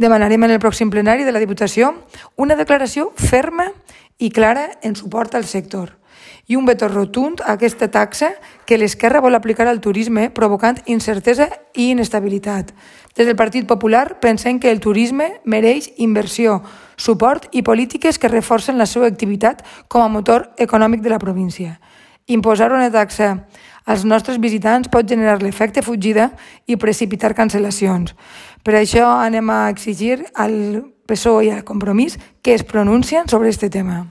Demanarem en el pròxim plenari de la Diputació una declaració ferma i clara en suport al sector i un veto rotund a aquesta taxa que l'esquerra vol aplicar al turisme provocant incertesa i inestabilitat. Des del Partit Popular pensem que el turisme mereix inversió, suport i polítiques que reforcen la seva activitat com a motor econòmic de la província. Imposar una taxa als nostres visitants pot generar l'efecte fugida i precipitar cancel·lacions. Per això anem a exigir al PSOE i al Compromís que es pronuncien sobre aquest tema.